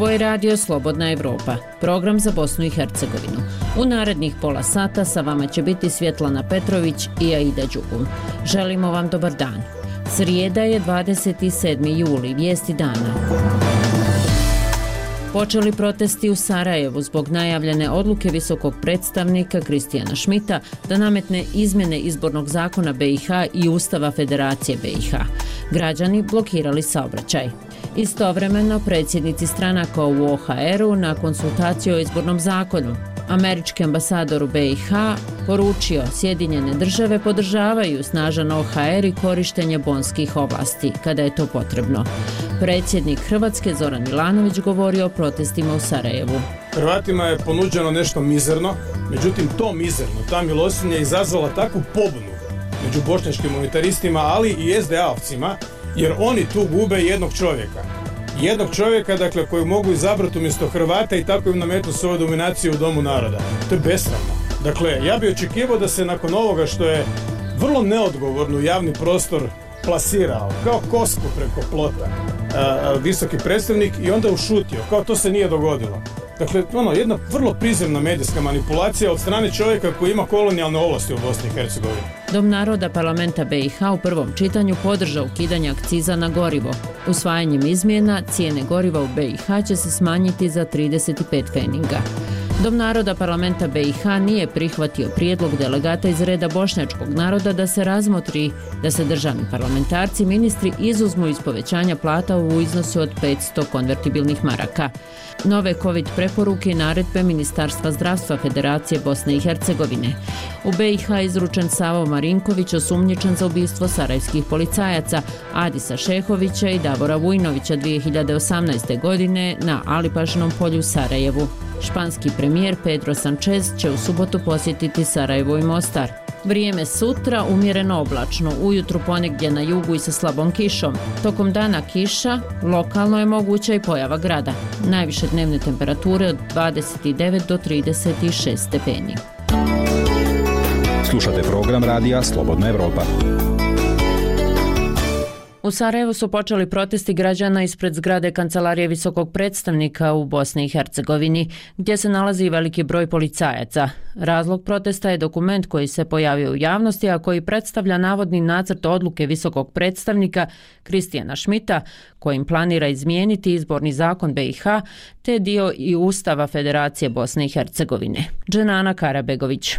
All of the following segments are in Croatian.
Ovo je radio Slobodna Evropa, program za Bosnu i Hercegovinu. U narednih pola sata sa vama će biti Svjetlana Petrović i Aida Đugum. Želimo vam dobar dan. Srijeda je 27. juli, vijesti dana. Počeli protesti u Sarajevu zbog najavljene odluke visokog predstavnika Kristijana Šmita da nametne izmjene izbornog zakona BiH i Ustava Federacije BiH. Građani blokirali saobraćaj. Istovremeno, predsjednici stranaka u OHR-u na konsultaciju o izbornom zakonu. Američki ambasador u BiH poručio Sjedinjene države podržavaju snažan OHR i korištenje bonskih ovlasti kada je to potrebno. Predsjednik Hrvatske Zoran Milanović govorio o protestima u Sarajevu. Hrvatima je ponuđeno nešto mizerno, međutim to mizerno, ta milostinja je izazvala takvu pobunu među bošnjačkim unitaristima, ali i SDA-ovcima, jer oni tu gube jednog čovjeka. Jednog čovjeka, dakle, koji mogu izabrati umjesto Hrvata i tako im nametnu svoju dominaciju u Domu naroda. To je besramno. Dakle, ja bih očekivao da se nakon ovoga što je vrlo neodgovorno u javni prostor plasirao, kao kosku preko plota, visoki predstavnik i onda ušutio, kao to se nije dogodilo. Dakle, jedna vrlo prizemna medijska manipulacija od strane čovjeka koji ima kolonijalne ovlasti u Bosni i Hercegovini. Dom naroda parlamenta BiH u prvom čitanju podržao ukidanje akciza na gorivo. Usvajanjem izmjena cijene goriva u BiH će se smanjiti za 35 pfeninga. Dom naroda parlamenta BiH nije prihvatio prijedlog delegata iz reda bošnjačkog naroda da se razmotri da se državni parlamentarci ministri izuzmu iz povećanja plata u iznosu od 500 konvertibilnih maraka. Nove COVID preporuke i naredbe Ministarstva zdravstva Federacije Bosne i Hercegovine. U BiH izručen Savo Marinković, osumnjičen za ubistvo sarajevskih policajaca Adisa Šehovića i Davora Vujnovića 2018. godine na Alipašinom polju u Sarajevu. Španski premijer Pedro Sanchez će u subotu posjetiti Sarajevo i Mostar. Vrijeme sutra umjereno oblačno, ujutru ponegdje na jugu i sa slabom kišom. Tokom dana kiša, lokalno je moguća i pojava grada. Najviše dnevne temperature od 29 do 36 stepeni. Slušate program radija Slobodna Evropa. U Sarajevu su počeli protesti građana ispred zgrade Kancelarije visokog predstavnika u Bosni i Hercegovini, gdje se nalazi veliki broj policajaca. Razlog protesta je dokument koji se pojavio u javnosti, a koji predstavlja navodni nacrt odluke visokog predstavnika Kristijana Šmita, kojim planira izmijeniti izborni zakon BiH, te dio i Ustava Federacije Bosne i Hercegovine. Dženana Karabegović.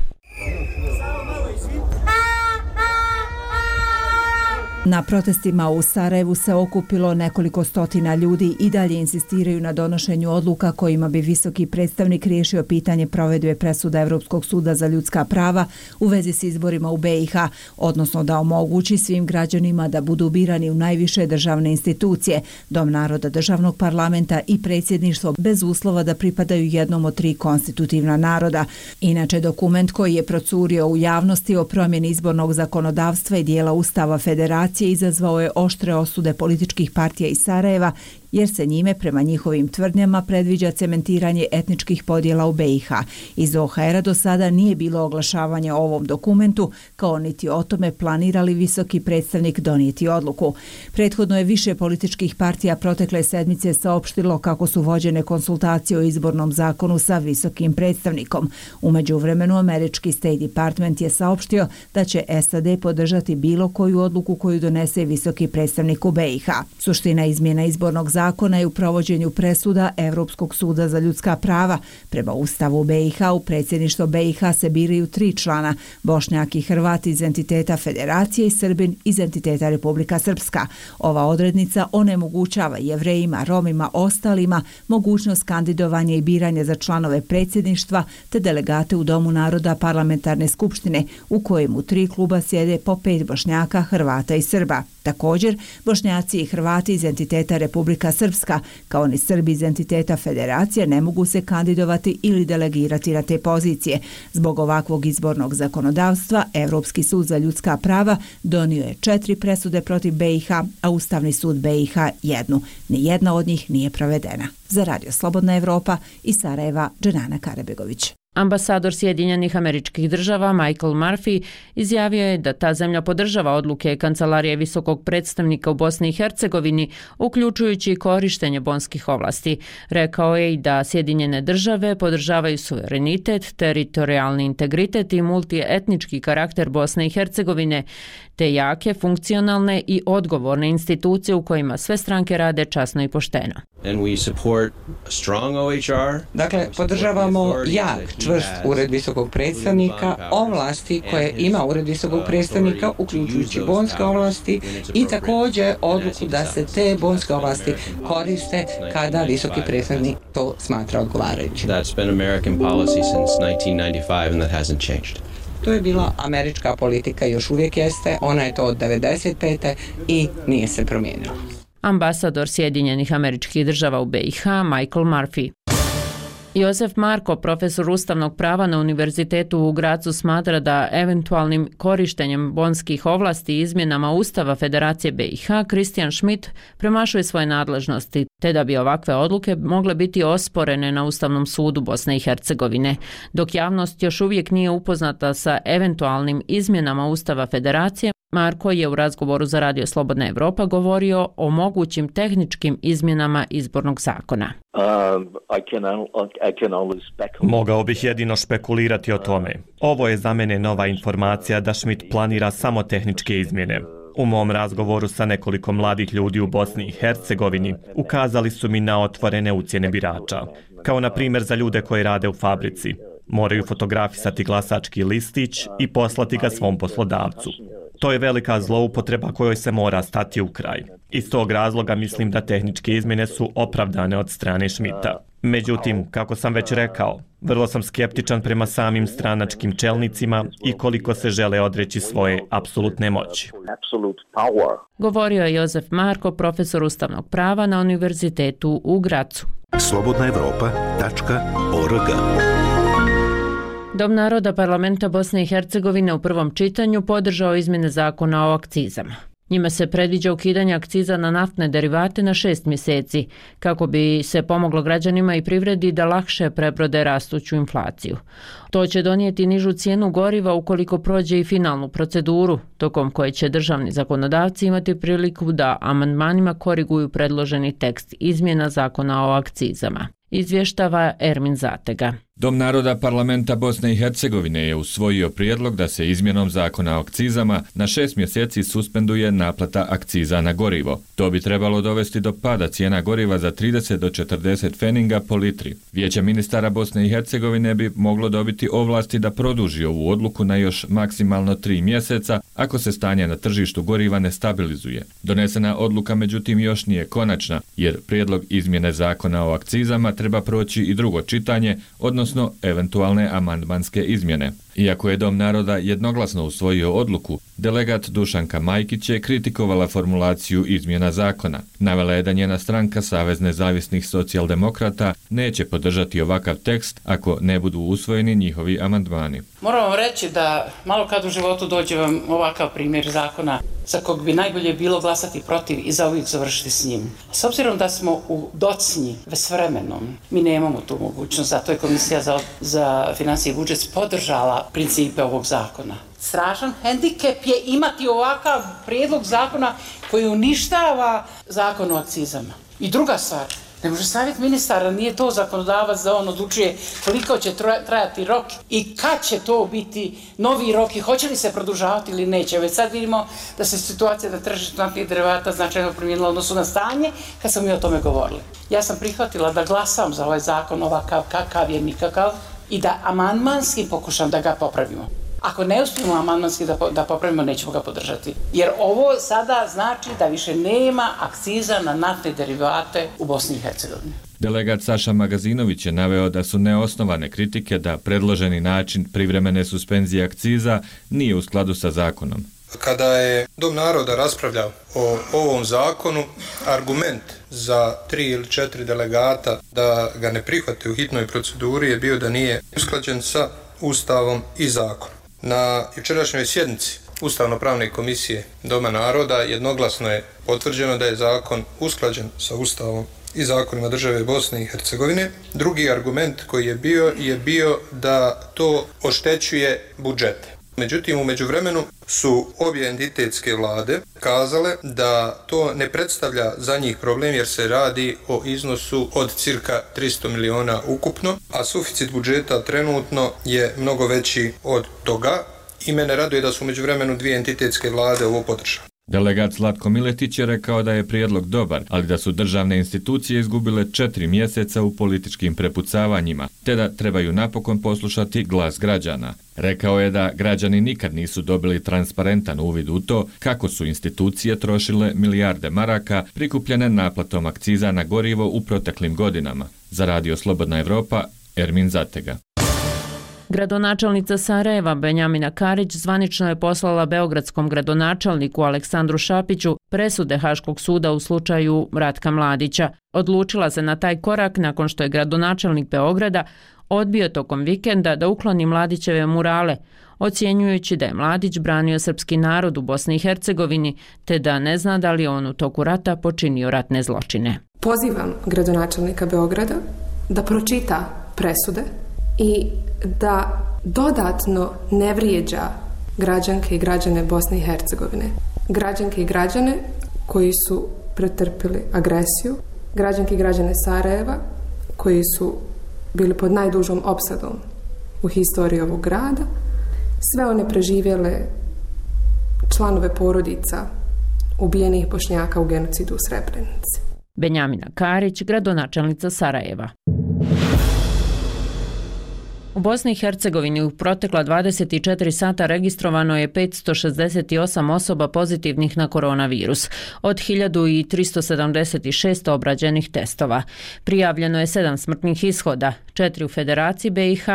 Na protestima u Sarajevu se okupilo nekoliko stotina ljudi i dalje insistiraju na donošenju odluka kojima bi visoki predstavnik riješio pitanje provedbe presuda Evropskog suda za ljudska prava u vezi s izborima u BiH, odnosno da omogući svim građanima da budu birani u najviše državne institucije, Dom naroda, državnog parlamenta i predsjedništvo bez uslova da pripadaju jednom od 3 konstitutivna naroda. Inače, dokument koji je procurio u javnosti o promjeni izbornog zakonodavstva i dijela Ustava Federacije izazvao je oštre osude političkih partija iz Sarajeva, jer se njime prema njihovim tvrdnjama predviđa cementiranje etničkih podjela u BiH. Iz OHR-a do sada nije bilo oglašavanja o ovom dokumentu, kao niti o tome planira li visoki predstavnik donijeti odluku. Prethodno je više političkih partija protekle sedmice saopštilo kako su vođene konsultacije o izbornom zakonu sa visokim predstavnikom. U međuvremenu američki State Department je saopštio da će SAD podržati bilo koju odluku koju donese visoki predstavnik u BiH. Suština izmjena izbornog zakona je u provođenju presuda Evropskog suda za ljudska prava. Prema Ustavu BiH u predsjedništvo BiH se biraju 3 člana, Bošnjak i Hrvat iz entiteta Federacije i Srbin iz entiteta Republika Srpska. Ova odrednica onemogućava Jevrejima, Romima, ostalima mogućnost kandidovanja i biranja za članove predsjedništva te delegate u Domu naroda parlamentarne skupštine u kojemu 3 kluba sjede po 5 Bošnjaka, Hrvata i Srba. Također, Bošnjaci i Hrvati iz entiteta Republika Srpska, kao ni Srbi iz entiteta Federacije, ne mogu se kandidovati ili delegirati na te pozicije. Zbog ovakvog izbornog zakonodavstva, Evropski sud za ljudska prava donio je 4 presude protiv BiH, a Ustavni sud BiH 1. Nijedna od njih nije provedena. Za Radio Slobodna Evropa iz Sarajeva, Dženana Karabegović. Ambasador Sjedinjenih Američkih Država Michael Murphy izjavio je da ta zemlja podržava odluke Kancelarije visokog predstavnika u Bosni i Hercegovini, uključujući i korištenje bonskih ovlasti. Rekao je i da Sjedinjene države podržavaju suverenitet, teritorijalni integritet i multietnički karakter Bosne i Hercegovine, te jake, funkcionalne i odgovorne institucije u kojima sve stranke rade časno i pošteno. Dakle, podržavamo jak, čvrst ured visokog predstavnika, ovlasti koje ima ured visokog predstavnika, uključujući bonske ovlasti i također odluku da se te bonske ovlasti koriste kada visoki predstavnik to smatra odgovarajućim. To je bila američka politika i još uvijek jeste, ona je to od 1995. i nije se promijenila. Ambasador Sjedinjenih Američkih Država u BiH Michael Murphy. Josef Marko, profesor ustavnog prava na Univerzitetu u Grazu, smatra da eventualnim korištenjem bonskih ovlasti i izmjenama Ustava Federacije BiH Christian Schmidt premašuje svoje nadležnosti, te da bi ovakve odluke mogle biti osporene na Ustavnom sudu Bosne i Hercegovine. Dok javnost još uvijek nije upoznata sa eventualnim izmjenama Ustava Federacije, Marko je u razgovoru za Radio Slobodna Evropa govorio o mogućim tehničkim izmjenama izbornog zakona. Mogao bih jedino špekulirati o tome. Ovo je za mene nova informacija da Schmidt planira samo tehničke izmjene. U mom razgovoru sa nekoliko mladih ljudi u Bosni i Hercegovini ukazali su mi na otvorene ucjene birača. Kao na primjer za ljude koji rade u fabrici. Moraju fotografisati glasački listić i poslati ga svom poslodavcu. To je velika zloupotreba kojoj se mora stati u kraj. Iz tog razloga mislim da tehničke izmjene su opravdane od strane Schmidta. Međutim, kako sam već rekao, vrlo sam skeptičan prema samim stranačkim čelnicima i koliko se žele odreći svoje apsolutne moći. Govorio je Josef Marko, profesor ustavnog prava na Univerzitetu u Grazu. slobodnaevropa.org. Dom naroda parlamenta Bosne i Hercegovine u prvom čitanju podržao izmjene zakona o akcizama. Njima se predviđa ukidanje akciza na naftne derivate na 6 mjeseci, kako bi se pomoglo građanima i privredi da lakše prebrode rastuću inflaciju. To će donijeti nižu cijenu goriva ukoliko prođe i finalnu proceduru, tokom koje će državni zakonodavci imati priliku da amandmanima koriguju predloženi tekst izmjena zakona o akcizama. Izvještava Ermin Zatega. Dom naroda parlamenta Bosne i Hercegovine je usvojio prijedlog da se izmjenom zakona o akcizama na 6 mjeseci suspenduje naplata akciza na gorivo. To bi trebalo dovesti do pada cijena goriva za 30 do 40 feninga po litri. Vijeće ministara Bosne i Hercegovine bi moglo dobiti ovlasti da produži ovu odluku na još maksimalno 3 mjeseca ako se stanje na tržištu goriva ne stabilizuje. Donesena odluka međutim još nije konačna, jer prijedlog izmjene zakona o akcizama treba proći i drugo čitanje, odnosno eventualne amandmanske izmjene. Iako je Dom naroda jednoglasno usvojio odluku, delegat Dušanka Majkić je kritikovala formulaciju izmjena zakona. Navela je da njena stranka Savez nezavisnih socijaldemokrata neće podržati ovakav tekst ako ne budu usvojeni njihovi amandmani. Moram vam reći da malo kad u životu dođe vam ovakav primjer zakona za kog bi najbolje bilo glasati protiv i zauvijek završiti s njim. S obzirom da smo u docnji s vremenom, mi nemamo tu mogućnost, zato je Komisija za financije i budžet podržala principe ovog zakona. Strašan hendikep je imati ovakav prijedlog zakona koji uništava zakon o akcizama. I druga stvar, ne može savjet ministara, nije to zakonodavac da on odlučuje koliko će trajati rok i kad će to biti novi rok i hoće li se produžavati ili neće. Već sad vidimo da se situacija na tržištu naftnih derivata značajno promijenila u odnosu na stanje kad smo mi o tome govorili. Ja sam prihvatila da glasam za ovaj zakon ovakav kakav je nikakav i da amandmanski pokušam da ga popravimo. Ako ne uspijemo amandmanski da popravimo, nećemo ga podržati. Jer ovo sada znači da više nema akciza na naftne derivate u Bosni i Hercegovini. Delegat Saša Magazinović je naveo da su neosnovane kritike da predloženi način privremene suspenzije akciza nije u skladu sa zakonom. Kada je Dom naroda raspravljao o ovom zakonu, argument za 3 ili 4 delegata da ga ne prihvate u hitnoj proceduri je bio da nije usklađen sa Ustavom i zakonom. Na jučerašnjoj sjednici Ustavno-pravne komisije Doma naroda jednoglasno je potvrđeno da je zakon usklađen sa Ustavom i zakonima države Bosne i Hercegovine. Drugi argument koji je bio da to oštećuje budžete. Međutim, u međuvremenu su obje entitetske vlade kazale da to ne predstavlja za njih problem jer se radi o iznosu od cirka 300 miliona ukupno, a suficit budžeta trenutno je mnogo veći od toga i mene raduje da su u međuvremenu dvije entitetske vlade ovo podržale. Delegat Zlatko Miletić je rekao da je prijedlog dobar, ali da su državne institucije izgubile 4 mjeseca u političkim prepucavanjima, te da trebaju napokon poslušati glas građana. Rekao je da građani nikad nisu dobili transparentan uvid u to kako su institucije trošile milijarde maraka prikupljene naplatom akciza na gorivo u proteklim godinama. Za Radio Slobodna Evropa, Ermin Zatega. Gradonačelnica Sarajeva Benjamina Karić zvanično je poslala beogradskom gradonačelniku Aleksandru Šapiću presude Haškog suda u slučaju Ratka Mladića. Odlučila se na taj korak nakon što je gradonačelnik Beograda odbio tokom vikenda da ukloni Mladićeve murale, ocjenjujući da je Mladić branio srpski narod u Bosni i Hercegovini, te da ne zna da li on u toku rata počinio ratne zločine. Pozivam gradonačelnika Beograda da pročita presude i da dodatno ne vrijeđa građanke i građane Bosne i Hercegovine. Građanke i građane koji su pretrpili agresiju, građanke i građane Sarajeva koji su bili pod najdužom opsadom u historiji ovog grada, sve one preživjele članove porodica ubijenih Bošnjaka u genocidu u Srebrenici. Benjamina Karić, gradonačelnica Sarajeva. U Bosni i Hercegovini u protekla 24 sata registrovano je 568 osoba pozitivnih na koronavirus, od 1376 obrađenih testova. Prijavljeno je 7 smrtnih ishoda, 4 u Federaciji BiH,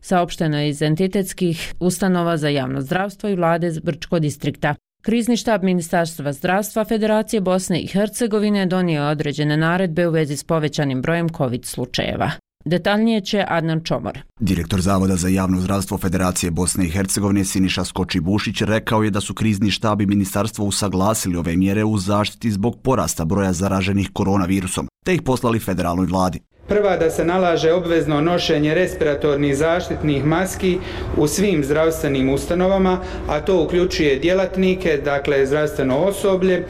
saopšteno je iz entitetskih ustanova za javno zdravstvo i vlade Brčko distrikta. Krizni štab Ministarstva zdravstva Federacije Bosne i Hercegovine donio je određene naredbe u vezi s povećanim brojem COVID slučajeva. Detaljnije će Adnan Čomor. Direktor Zavoda za javno zdravstvo Federacije Bosne i Hercegovine Siniša Skoči-Bušić rekao je da su krizni štab i ministarstvo usaglasili ove mjere u zaštiti zbog porasta broja zaraženih koronavirusom, te ih poslali federalnoj vladi. Prva, da se nalaže obvezno nošenje respiratornih zaštitnih maski u svim zdravstvenim ustanovama, a to uključuje djelatnike, dakle zdravstveno osoblje,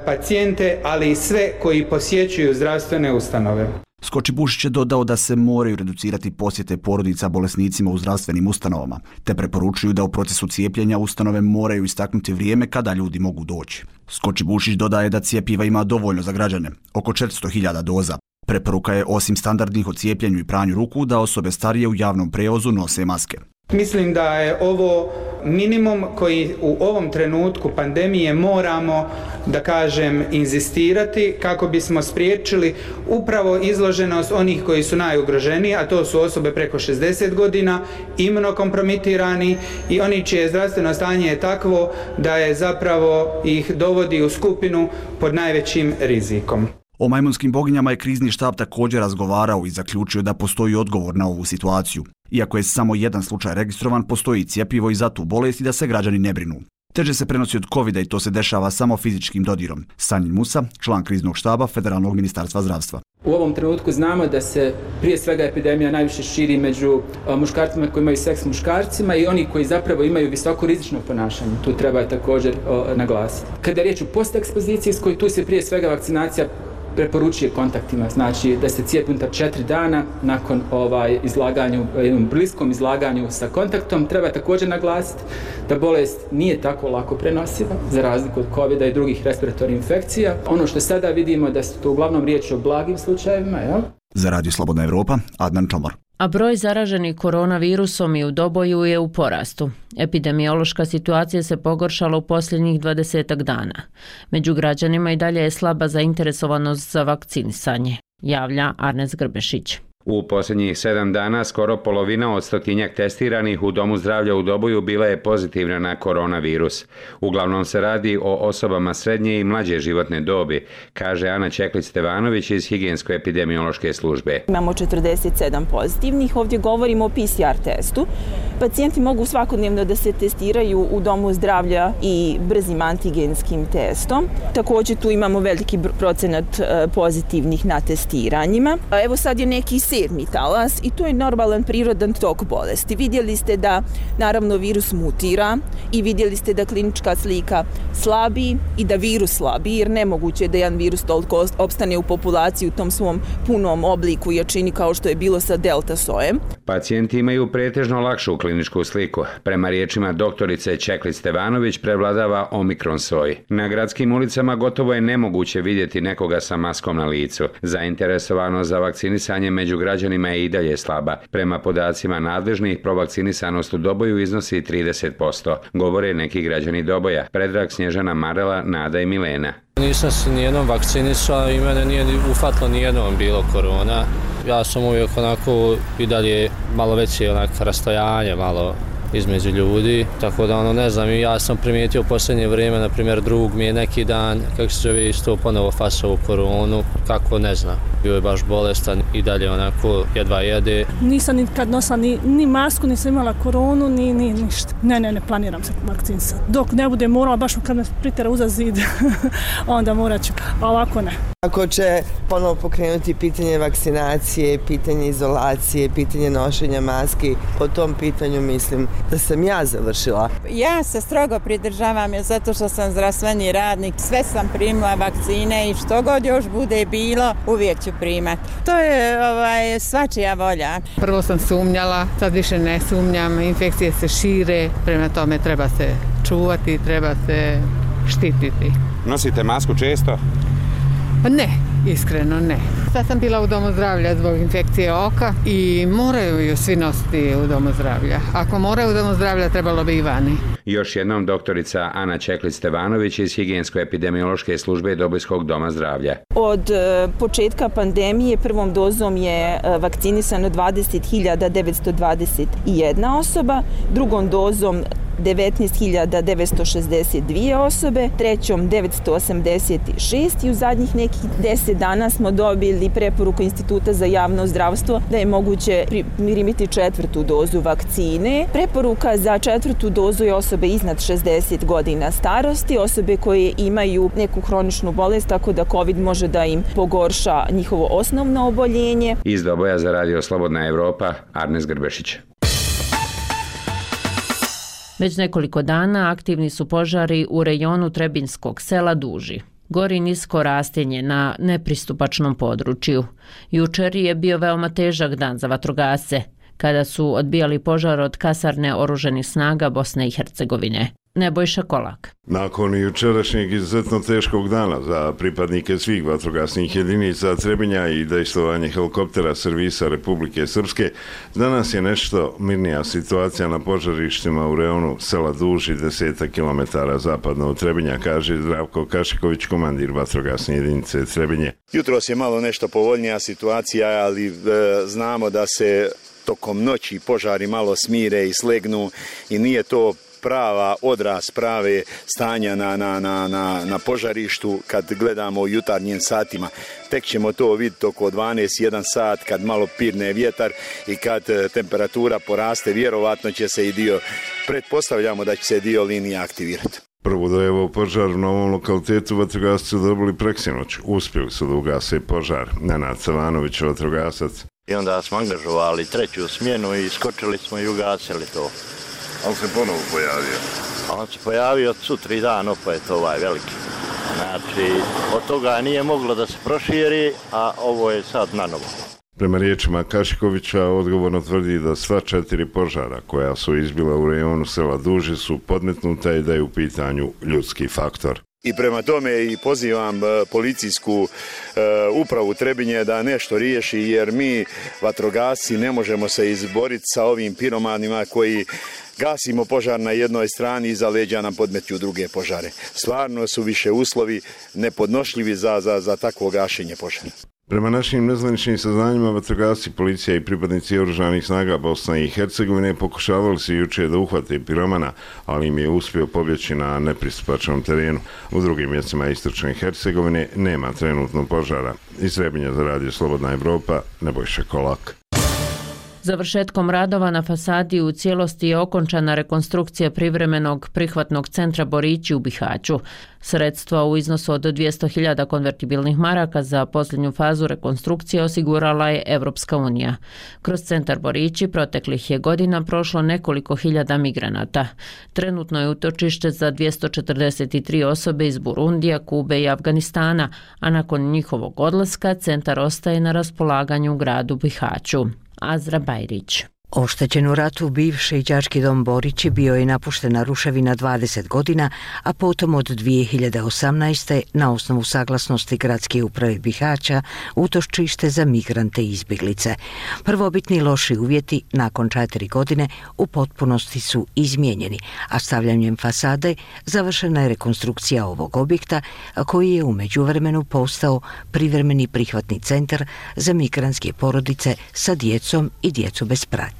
pacijente, ali i sve koji posjećuju zdravstvene ustanove. Skoči-Bušić je dodao da se moraju reducirati posjete porodica bolesnicima u zdravstvenim ustanovama, te preporučuju da u procesu cijepljenja ustanove moraju istaknuti vrijeme kada ljudi mogu doći. Skoči-Bušić dodaje da cjepiva ima dovoljno za građane, oko 400.000 doza. Preporuka je osim standardnih o cijepljenju i pranju ruku da osobe starije u javnom prijevozu nose maske. Mislim da je ovo minimum koji u ovom trenutku pandemije moramo, da kažem, inzistirati kako bismo spriječili upravo izloženost onih koji su najugroženiji, a to su osobe preko 60 godina, imunokompromitirani i oni čije zdravstveno stanje je takvo da je zapravo ih dovodi u skupinu pod najvećim rizikom. O majmunskim boginjama je krizni štab također razgovarao i zaključio da postoji odgovor na ovu situaciju. Iako je samo jedan slučaj registrovan, postoji cjepivo i za tu bolest i da se građani ne brinu. Teže se prenosi od covida i to se dešava samo fizičkim dodirom. Sanjin Musa, član kriznog štaba Federalnog ministarstva zdravstva. U ovom trenutku znamo da se prije svega epidemija najviše širi među muškarcima koji imaju seks s muškarcima i oni koji zapravo imaju visoko rizično ponašanje. Tu treba također naglasiti. Kada je riječ o postekspozicijskoj, tu se prije svega vakcinacija preporučuje kontaktima, znači da se cijepi unutar 4 dana nakon jednom bliskom izlaganju sa kontaktom. Treba također naglasiti da bolest nije tako lako prenosiva, za razliku od covida i drugih respiratornih infekcija. Ono što sada vidimo da su to uglavnom riječ o blagim slučajevima. Jel? Za Radio Slobodna Evropa, Adnan Čomor. A broj zaraženih koronavirusom i u Doboju je u porastu. Epidemiološka situacija se pogoršala u posljednjih 20 dana. Među građanima i dalje je slaba zainteresovanost za vakcinisanje, javlja Arnes Grbešić. U posljednjih 7 dana skoro polovina od 100-tinjak testiranih u Domu zdravlja u Doboju bila je pozitivna na koronavirus. Uglavnom se radi o osobama srednje i mlađe životne dobi, kaže Ana Čeklić-Stevanović iz Higijensko-epidemiološke službe. Imamo 47 pozitivnih, ovdje govorimo o PCR testu Pacijenti mogu svakodnevno da se testiraju u domu zdravlja i brzim antigenskim testom. Također tu imamo veliki procenat pozitivnih na testiranjima. Evo sad je neki 7. talas i to je normalan prirodan tok bolesti. Vidjeli ste da naravno virus mutira i vidjeli ste da klinička slika slabi i da virus slabi, jer nemoguće je da jedan virus toliko opstane u populaciji u tom svom punom obliku i jačini kao što je bilo sa delta sojem. Pacijenti imaju pretežno lakšu kliničku sliku. Prema riječima doktorice Čeklić Stevanović prevladava omikron soj. Na gradskim ulicama gotovo je nemoguće vidjeti nekoga sa maskom na licu. Zainteresovanost za vakcinisanje među građanima je i dalje slaba. Prema podacima nadležnih, provakcinisanost u Doboju iznosi 30%. Govore neki građani Doboja. Predrag, Snježana, Marela, Nada i Milena. Nisam se nijednom vakcinisao i mene nije ufatilo nijednom bilo korona. Ja sam uvijek onako i dalje malo veće rastojanje malo između ljudi, tako da ne znam, i ja sam primijetio u posljednje vrijeme, na primjer drug mi je neki dan, kako se zove, isto ponovo fasao koronu, kako ne znam, bio je baš bolestan i dalje onako jedva jede. Nisam nikad nosila ni masku, nisam imala koronu, ni ništa. Ne planiram se vakcinisati. Dok ne bude morala, baš kad me pritera uza zid, onda morat ću, a ovako ne. Ako će ponovo pokrenuti pitanje vakcinacije, pitanje izolacije, pitanje nošenja maski, po tom pitanju mislim da sam ja završila. Ja se strogo pridržavam zato što sam zdravstveni radnik, sve sam primila vakcine i što god još bude bilo, uvijek ću primati. To je svačija volja. Prvo sam sumnjala, sad više ne sumnjam, infekcije se šire, prema tome treba se čuvati, treba se štititi. Nosite masku često? Ne, iskreno ne. Sad sam bila u domu zdravlja zbog infekcije oka i moraju ju svi nositi u domu zdravlja. Ako moraju u domu zdravlja, trebalo bi i vani. Još jednom doktorica Ana Čeklić Stevanović iz Higijensko-epidemiološke službe Dobojskog doma zdravlja. Od početka pandemije prvom dozom je vakcinisano 20.921 osoba, drugom dozom 19.962 osobe, trećom 986 i u zadnjih nekih 10 dana smo dobili preporuku Instituta za javno zdravstvo da je moguće primiti 4. dozu vakcine. Preporuka za 4. dozu je osobe iznad 60 godina starosti, osobe koje imaju neku hroničnu bolest, tako da COVID može da im pogorša njihovo osnovno oboljenje. Iz Doboja za Radio Slobodna Evropa, Arnes Grbešić. Već nekoliko dana aktivni su požari u rejonu Trebinskog sela Duži. Gori nisko rastinje na nepristupačnom području. Jučer je bio veoma težak dan za vatrogasce, kada su odbijali požar od kasarne oružanih snaga Bosne i Hercegovine. Nebojša Kolak. Nakon jučerašnjeg izuzetno teškog dana za pripadnike svih vatrogasnih jedinica Trebinja i dejstvovanje helikoptera servisa Republike Srpske, danas je nešto mirnija situacija na požarištima u rejonu sela Duži, 10 km zapadno od Trebinja, kaže Zdravko Kašiković, komandir vatrogasne jedinice Trebinje. Jutros je malo nešto povoljnija situacija, ali znamo da se tokom noći požari malo smire i slegnu i nije to prava odraz prave stanja na požarištu kad gledamo u jutarnjim satima. Tek ćemo to vidjeti oko 12-1 sat kad malo pirne vjetar i kad temperatura poraste, vjerovatno će se i pretpostavljamo da će se dio linija aktivirati. Prvu dojavu požar u novom lokalitetu vatrogasci su dobili preksinoć. Uspjeli su da ugase požar. Nenad Savanović, vatrogasac. I onda smo angažovali 3. smjenu i skočili smo i ugasili to. Ali se ponovo pojavio? On se pojavio sutri dan, opet veliki. Znači, od toga nije moglo da se proširi, a ovo je sad na novo. Prema riječima Kašikovića, odgovorno tvrdi da sva 4 požara koja su izbila u rejonu sela Duži su podmetnuta i da je u pitanju ljudski faktor. I prema tome i pozivam policijsku upravu Trebinje da nešto riješi, jer mi vatrogasci ne možemo se izboriti sa ovim piromanima koji gasimo požar na jednoj strani i iza leđa nam podmeću druge požare. Stvarno su više uslovi nepodnošljivi za takvo gašenje požara. Prema našim nezvaničnim saznanjima, vatrogasci, policija i pripadnici oružanih snaga Bosne i Hercegovine pokušavali se jučer da uhvate piromana, ali im je uspio pobjeći na nepristupačnom terenu. U drugim mjestima istočne Hercegovine nema trenutno požara. Iz Trebinja za Radio Slobodna Evropa, Nebojša Kolak. Završetkom radova na fasadi u cijelosti je okončana rekonstrukcija privremenog prihvatnog centra Borići u Bihaću. Sredstva u iznosu od 200.000 konvertibilnih maraka za posljednju fazu rekonstrukcije osigurala je Evropska unija. Kroz centar Borići proteklih je godina prošlo nekoliko hiljada migranata. Trenutno je utočište za 243 osobe iz Burundija, Kube i Afganistana, a nakon njihovog odlaska centar ostaje na raspolaganju u gradu Bihaću. Azra Bajrić. Oštećen u ratu bivši đački dom Borići bio je napuštena ruševina 20 godina, a potom od 2018. na osnovu saglasnosti gradske uprave Bihaća utočište za migrante i izbjeglice. Prvobitni loši uvjeti nakon 4 godine u potpunosti su izmijenjeni, a stavljanjem fasade završena je rekonstrukcija ovog objekta koji je u međuvremenu postao privremeni prihvatni centar za migrantske porodice sa djecom i djecu bez pratnje.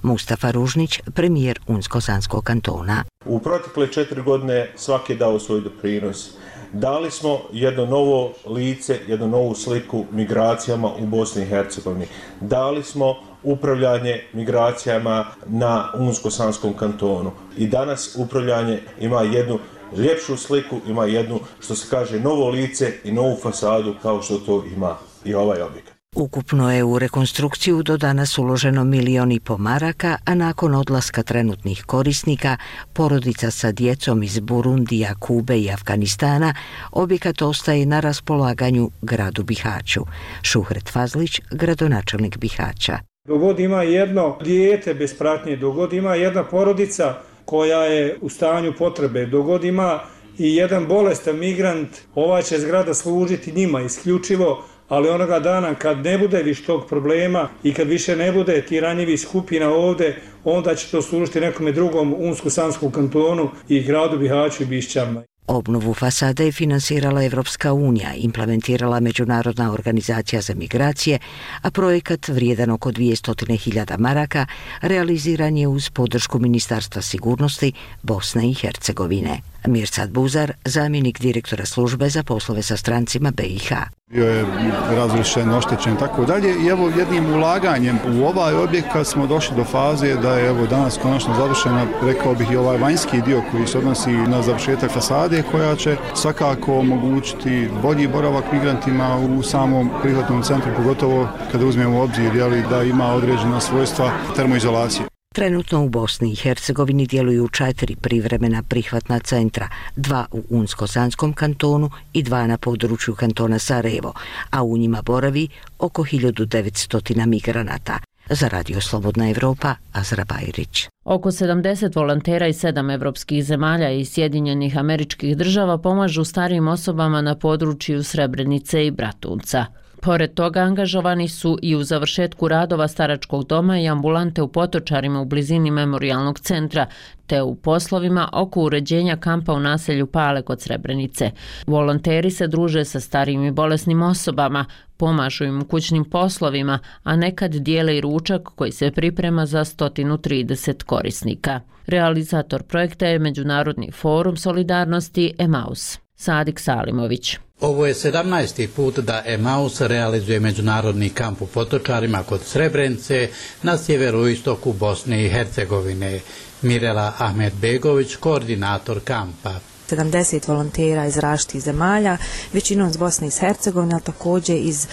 Mustafa Ružnić, premijer Unsko-Sanskog kantona. U protekle 4 godine svaki je dao svoj doprinos. Dali smo jedno novo lice, jednu novu sliku migracijama u Bosni i Hercegovini. Dali smo upravljanje migracijama na Unsko-Sanskom kantonu. I danas upravljanje ima jednu ljepšu sliku, ima jednu, što se kaže, novo lice i novu fasadu kao što to ima i ovaj objekat. Ukupno je u rekonstrukciju do danas uloženo 1,5 milijuna maraka, a nakon odlaska trenutnih korisnika, porodica sa djecom iz Burundija, Kube i Afganistana, objekat ostaje na raspolaganju gradu Bihaću. Šuhret Fazlić, gradonačelnik Bihaća. Dogod ima jedno dijete bez pratnje, dogod ima jedna porodica koja je u stanju potrebe, dogod ima i jedan bolestan migrant, ova će zgrada služiti njima isključivo, ali onoga dana kad ne bude više tog problema i kad više ne bude ti ranjivih skupina ovdje, onda će to služiti nekome drugom Unsko-Sanskom kantonu i gradu Bihaću i Bišćama. Obnovu fasade je finansirala Evropska unija, implementirala Međunarodna organizacija za migracije, a projekat vrijedan oko 200.000 maraka realiziran je uz podršku Ministarstva sigurnosti Bosne i Hercegovine. Mirsad Buzar, zamjenik direktora službe za poslove sa strancima BiH. Bio je razrušen, oštećen, tako dalje i evo jednim ulaganjem u ovaj objekat smo došli do faze da je evo danas konačno završena, rekao bih, i ovaj vanjski dio koji se odnosi na završetak fasade koja će svakako omogućiti bolji boravak migrantima u samom prihvatnom centru, pogotovo kada uzmemo u obzir da ima određena svojstva termoizolacije. Trenutno u Bosni i Hercegovini djeluju 4 privremena prihvatna centra, 2 u Unsko-Sanskom kantonu i 2 na području kantona Sarajevo, a u njima boravi oko 1900 migranata. Za Radio Slobodna Evropa, Azra Bajrić. Oko 70 volontera iz 7 evropskih zemalja i Sjedinjenih Američkih Država pomažu starijim osobama na području Srebrenice i Bratunca. Pored toga angažovani su i u završetku radova staračkog doma i ambulante u Potočarima u blizini memorijalnog centra, te u poslovima oko uređenja kampa u naselju Pale kod Srebrenice. Volonteri se druže sa starijim i bolesnim osobama, pomažu im u kućnim poslovima, a nekad dijele i ručak koji se priprema za 130 korisnika. Realizator projekta je Međunarodni forum solidarnosti Emaus. Sadik Salimović. Ovo je 17. put da Emaus realizuje međunarodni kamp u Potočarima kod Srebrenice na sjeveroistoku Bosne i Hercegovine. Mirela Ahmedbegović, koordinator kampa. 70 volontera iz različitih zemalja, većinom iz Bosne i Hercegovine, ali također iz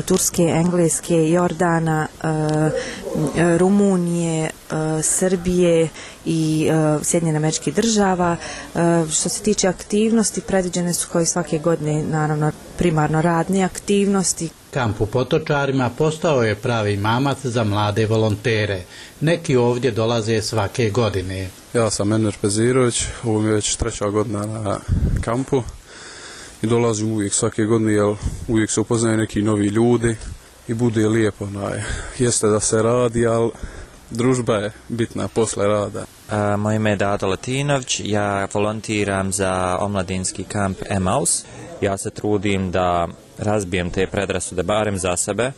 Turske, Engleske, Jordana, Rumunije, Srbije i Sjedinjenih Američkih Država. Što se tiče aktivnosti, predviđene su kao i svake godine, naravno, primarno radne aktivnosti. Kamp u Potočarima postao je pravi mamac za mlade volontere. Neki ovdje dolaze svake godine. Ja sam Enver Pezirović, ovo mi je već 3. godina na kampu i dolazim uvijek svake godine, jer uvijek se upoznaju neki novi ljudi i bude lijepo. Jeste da se radi, ali družba je bitna posle rada. Moje ime je Dado Latinović, ja volontiram za omladinski kamp Emaus. Ja se trudim da razbijem te predrasude barem za sebe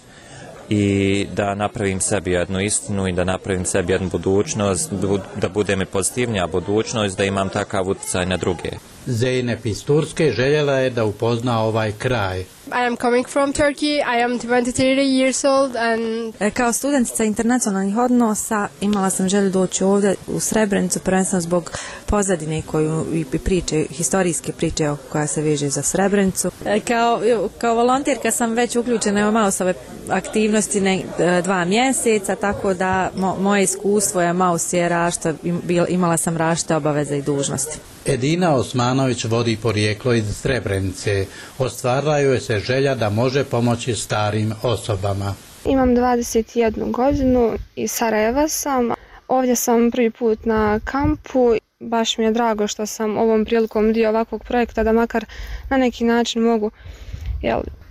i da napravim sebi jednu istinu i da napravim sebi jednu budućnost, da bude mi pozitivnija budućnost, da imam takav utjecaj na druge. Zeynep iz Turske željela je da upozna ovaj kraj. I am coming from Turkey. I am 23 years old and... Kao studentica internacionalnih odnosa imala sam želju doći ovdje u Srebrenicu, prvenstveno zbog pozadine koju i priče, historijske priče koja se veže za Srebrenicu. Kao volonterka sam već uključena u Mausove aktivnosti 2 mjeseca, tako da moje iskustvo je Maus je imala sam različite obaveze i dužnosti. Edina Osmanović vodi porijeklo iz Srebrenice. Ostvarila joj se želja da može pomoći starim osobama. Imam 21 godinu, iz Sarajeva sam. Ovdje sam prvi put na kampu. Baš mi je drago što sam ovom prilikom dio ovakvog projekta da makar na neki način mogu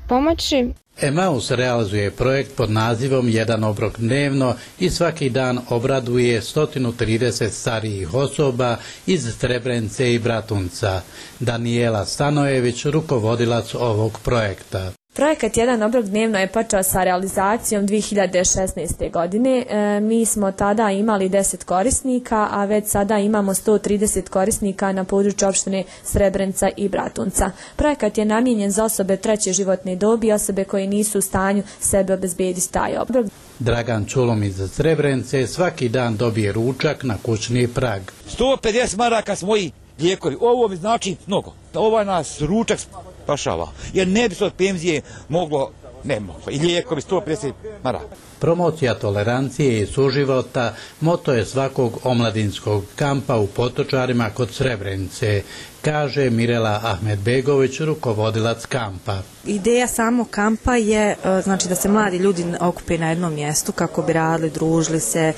pomoći. Emaus realizuje projekt pod nazivom Jedan obrok dnevno i svaki dan obraduje 130 starijih osoba iz Srebrenice i Bratunca. Daniela Stanojević, rukovodilac ovog projekta. Projekat Jedan obrok dnevno je počeo sa realizacijom 2016. godine. Mi smo tada imali 10 korisnika, a već sada imamo 130 korisnika na području opštine Srebrenica i Bratunca. Projekat je namijenjen za osobe treće životne dobi i osobe koje nisu u stanju sebe obezbediti taj obrok. Dragan Čulom iz Srebrenice svaki dan dobije ručak na kućni prag. 150 maraka s moji lijekovi. Ovo mi znači mnogo. Ovaj nas ručak spašava. Jer ne bi se od penzije moglo, ne moglo. I lijekovi 150 maraka. Promocija tolerancije i suživota moto je svakog omladinskog kampa u Potočarima kod Srebrenice, kaže Mirela Ahmedbegović, rukovodilac kampa. Ideja samog kampa je znači da se mladi ljudi okupe na jednom mjestu kako bi radili, družili se,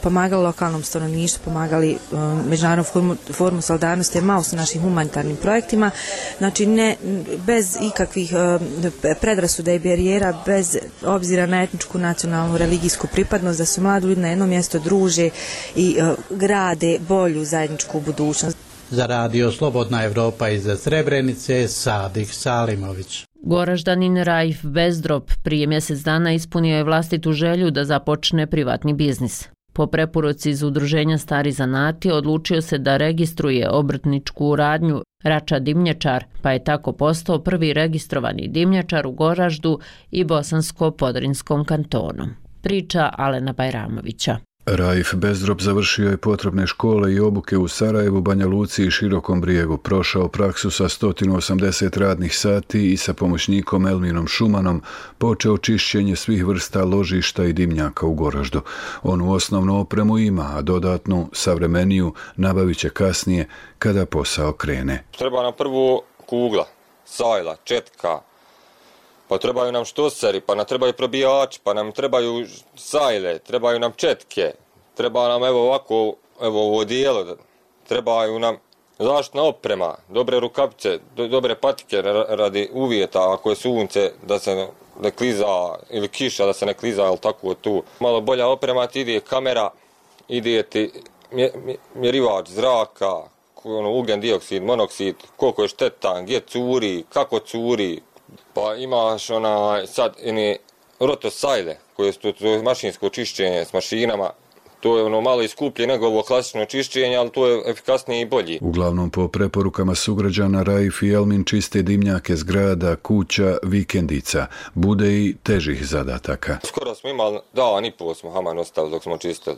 pomagali lokalnom stanovništvu, pomagali Međunarodnom forumu solidarnosti, Maus u našim humanitarnim projektima, znači ne bez ikakvih predrasuda i barijera, bez obzira na etničku, nacionalnu, religijsku pripadnost, da se mladi ljudi na jednom mjestu druže i grade bolju zajedničku budućnost. Za radio Slobodna Evropa iz Srebrenice, Sadik Salimović. Goraždanin Raif Bezdrop prije mjesec dana ispunio je vlastitu želju da započne privatni biznis. Po preporuci iz udruženja Stari zanati odlučio se da registruje obrtničku radnju Rača dimnjačar, pa je tako postao prvi registrovani dimnjačar u Goraždu i Bosansko-Podrinskom kantonu. Priča Alena Bajramovića. Raif Bezdrop završio je potrebne škole i obuke u Sarajevu, Banja Luci i Širokom Brijegu, prošao praksu sa 180 radnih sati i sa pomoćnikom Elminom Šumanom počeo čišćenje svih vrsta ložišta i dimnjaka u Goraždu. Onu osnovnu opremu ima, a dodatnu, savremeniju, nabavit će kasnije kada posao krene. Treba nam prvo kugla, sajla, četka, pa trebaju nam štoseri, pa nam trebaju probijači, pa nam trebaju sajle, trebaju nam četke, treba nam ovo dijelo, trebaju nam zaštitna oprema, dobre rukavice, dobre patike radi uvjeta, ako je sunce da se ne kliza ili kiša da se ne kliza, ali tako tu. Malo bolja oprema ti ide kamera, ide ti mjerivač zraka, ugljen dioksid, monoksid, koliko je štetan, gdje curi, kako curi. Pa imaš sad rotosajle koje su to mašinsko čišćenje s mašinama. To je malo i skuplje nego ovo klasično čišćenje, ali to je efikasnije i bolji. Uglavnom po preporukama sugrađana Raif i Elmin čiste dimnjake zgrada, kuća, vikendica. Bude i težih zadataka. Skoro smo imali dan i pol smo haman ostavili dok smo čistili.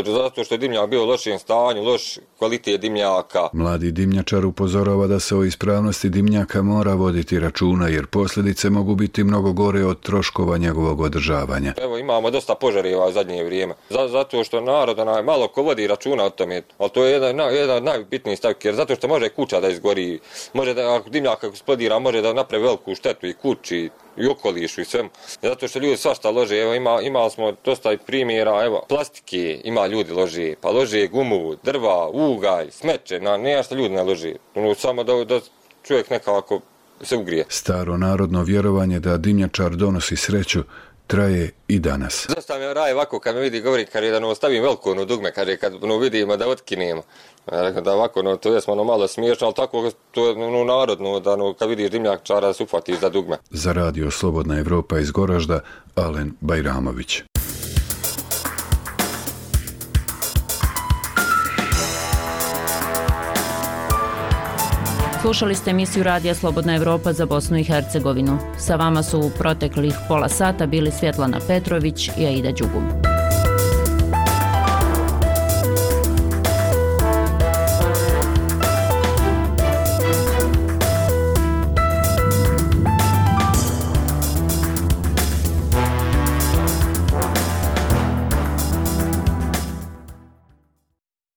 Zato što je dimnjak bio u lošem stanju, loš kvalitet dimnjaka. Mladi dimnjačar upozorava da se o ispravnosti dimnjaka mora voditi računa, jer posljedice mogu biti mnogo gore od troškova njegovog održavanja. Evo, imamo dosta požareva u zadnje vrijeme. Zato što narod malo ko vodi računa o tome, ali to je jedan od najbitnijih stavki, jer zato što može kuća da izgori, može da, ako dimnjak eksplodira, može da napravi veliku štetu i kući, i okolišu i svemu. Zato što ljudi svašta lože, evo imali smo dosta primjera, evo plastike ima ljudi lože, pa lože gumu, drva, ugalj, smeće, nema što ljudi ne lože, samo da čovjek nekako se ugrije. Staro narodno vjerovanje da dimnjačar donosi sreću traje i danas. Zašto mi raje ovako kad me vidi govori, kad je da ostavim veliko dugme, kad vidimo da otkinemo. Da ovako, to je malo smiješno, ali tako to je narodno, da kad vidiš dimnjačara se ufatiš za dugme. Za radio Slobodna Evropa iz Goražda, Alen Bajramović. Slušali ste emisiju Radija Slobodna Evropa za Bosnu i Hercegovinu. Sa vama su u proteklih pola sata bili Svjetlana Petrović i Aida Đugum.